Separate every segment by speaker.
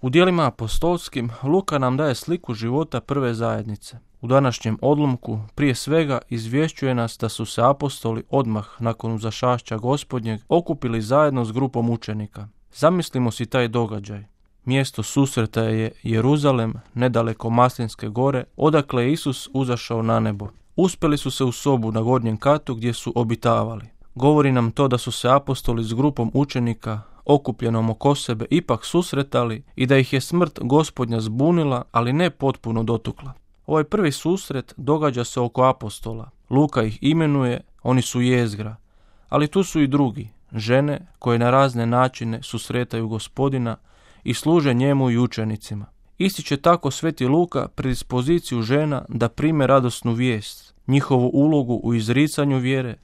Speaker 1: U djelima apostolskim Luka nam daje sliku života prve zajednice. U današnjem odlomku prije svega izvješćuje nas da su se apostoli odmah nakon uzašašća Gospodnjeg okupili zajedno s grupom učenika. Zamislimo si taj događaj. Mjesto susreta je Jeruzalem, nedaleko Maslinske gore, odakle je Isus uzašao na nebo. Uspjeli su se u sobu na gornjem katu gdje su obitavali. Govori nam to da su se apostoli s grupom učenika okupljenom oko sebe ipak susretali i da ih je smrt Gospodnja zbunila, ali ne potpuno dotukla. Ovaj prvi susret događa se oko apostola. Luka ih imenuje, oni su jezgra. Ali tu su i drugi, žene koje na razne načine susretaju Gospodina i služe njemu i učenicima. Ističe tako sveti Luka predispoziciju žena da prime radosnu vijest, njihovu ulogu u izricanju vjere,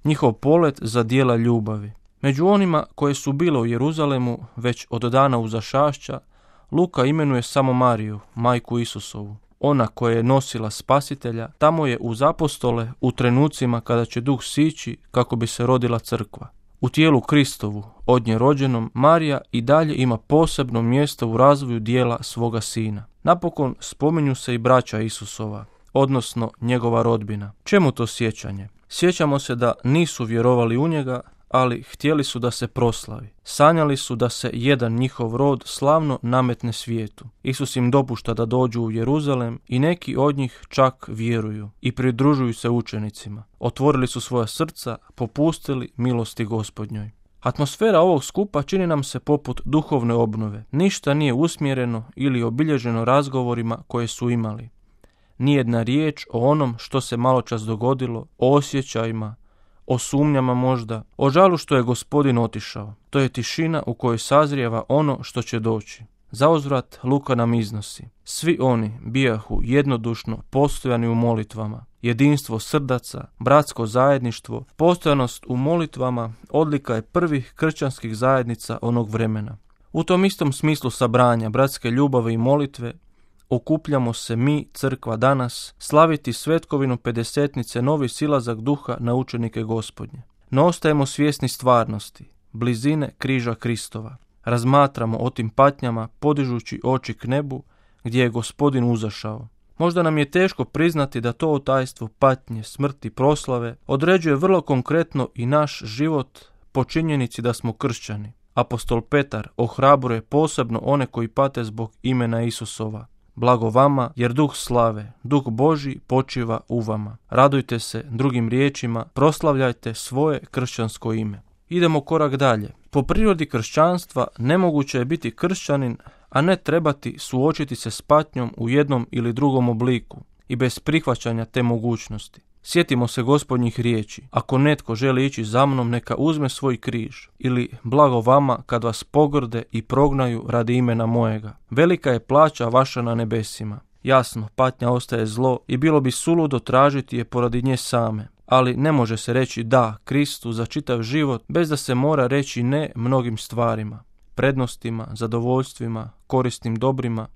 Speaker 1: njihov polet za djela ljubavi. Među onima koje su bile u Jeruzalemu već od dana uzašašća, Luka imenuje samo Mariju, majku Isusovu. Ona koja je nosila Spasitelja, tamo je uz apostole u trenucima kada će duh sići kako bi se rodila crkva. U tijelu Kristovu, od nje rođenom, Marija i dalje ima posebno mjesto u razvoju dijela svoga sina. Napokon spominju se i braća Isusova, odnosno njegova rodbina. Čemu to sjećanje? Sjećamo se da nisu vjerovali u njega, ali htjeli su da se proslavi. Sanjali su da se jedan njihov rod slavno nametne svijetu. Isus im dopušta da dođu u Jeruzalem i neki od njih čak vjeruju i pridružuju se učenicima. Otvorili su svoja srca, popustili milosti Gospodnjoj. Atmosfera ovog skupa čini nam se poput duhovne obnove. Ništa nije usmjereno ili obilježeno razgovorima koje su imali. Nijedna riječ o onom što se maločas dogodilo, o osjećajima, o sumnjama možda, o žalu što je Gospodin otišao. To je tišina u kojoj sazrijeva ono što će doći. Zauzvrat Luka nam iznosi. Svi oni bijahu jednodušno postojani u molitvama. Jedinstvo srdaca, bratsko zajedništvo, postojanost u molitvama odlika je prvih kršćanskih zajednica onog vremena. U tom istom smislu sabranja bratske ljubave i molitve okupljamo se mi, crkva danas, slaviti svetkovinu pedesetnice novi silazak duha na učenike Gospodnje. No ostajemo svjesni stvarnosti, blizine križa Kristova. Razmatramo o tim patnjama podižući oči k nebu gdje je Gospodin uzašao. Možda nam je teško priznati da to tajstvo patnje, smrti, proslave određuje vrlo konkretno i naš život po činjenici da smo kršćani. Apostol Petar ohrabruje posebno one koji pate zbog imena Isusova. Blago vama, jer duh slave, duh Božji počiva u vama. Radujte se, drugim riječima, proslavljajte svoje kršćansko ime. Idemo korak dalje. Po prirodi kršćanstva nemoguće je biti kršćanin, a ne trebati suočiti se s patnjom u jednom ili drugom obliku i bez prihvaćanja te mogućnosti. Sjetimo se Gospodnjih riječi. Ako netko želi ići za mnom, neka uzme svoj križ. Ili blago vama kad vas pogrde i prognaju radi imena mojega. Velika je plaća vaša na nebesima. Jasno, patnja ostaje zlo i bilo bi suludo tražiti je poradi nje same. Ali ne može se reći da Kristu za čitav život bez da se mora reći ne mnogim stvarima, prednostima, zadovoljstvima, korisnim dobrima,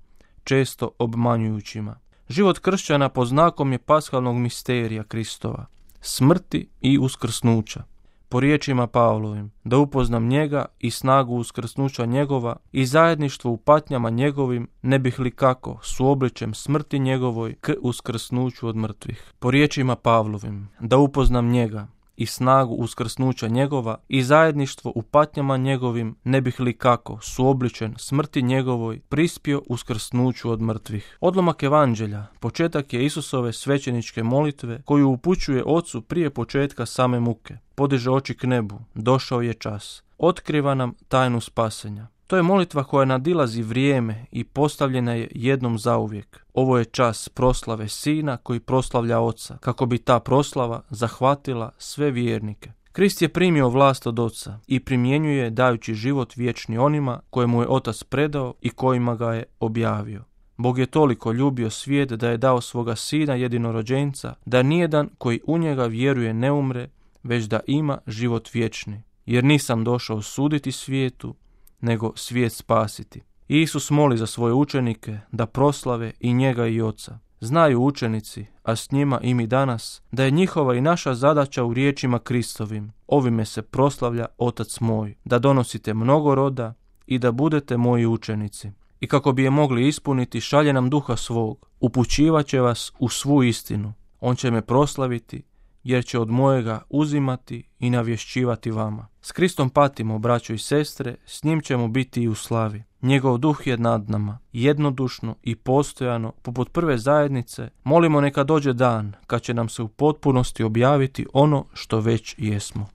Speaker 1: često obmanjujućima. Život kršćana pod znakom je paskalnog misterija Kristova, smrti i uskrsnuća. Po riječima Pavlovim, da upoznam njega i snagu uskrsnuća njegova i zajedništvo u patnjama njegovim, ne bih li kako suobličem smrti njegovoj k uskrsnuću od mrtvih. Po riječima Pavlovim, da upoznam njega i snagu uskrsnuća njegova i zajedništvo u patnjama njegovim, ne bih li kako suobličen smrti njegovoj prispio uskrsnuću od mrtvih. Odlomak evanđelja, početak je Isusove svećeničke molitve koju upućuje Ocu prije početka same muke. Podiže oči k nebu, došao je čas. Otkriva nam tajnu spasenja. To je molitva koja nadilazi vrijeme i postavljena je jednom zauvijek. Ovo je čas proslave Sina koji proslavlja Oca, kako bi ta proslava zahvatila sve vjernike. Krist je primio vlast od Oca i primjenjuje dajući život vječni onima koje mu je Otac predao i kojima ga je objavio. Bog je toliko ljubio svijet da je dao svoga Sina jedinorođenca, da nijedan koji u njega vjeruje ne umre, već da ima život vječni. Jer nisam došao suditi svijetu, nego svijet spasiti. Isus moli za svoje učenike da proslave i njega i Oca. Znaju učenici, a s njima i mi danas, da je njihova i naša zadaća u riječima Kristovim. Ovime se proslavlja Otac moj, da donosite mnogo roda i da budete moji učenici. i kako bi je mogli ispuniti šalje nam duha svog, upućivat će vas u svu istinu. On će me proslaviti, jer će od mojega uzimati i navješćivati vama. S Kristom patimo, braćo i sestre, s njim ćemo biti i u slavi. Njegov duh je nad nama, jednodušno i postojano, poput prve zajednice, molimo neka dođe dan kad će nam se u potpunosti objaviti ono što već jesmo.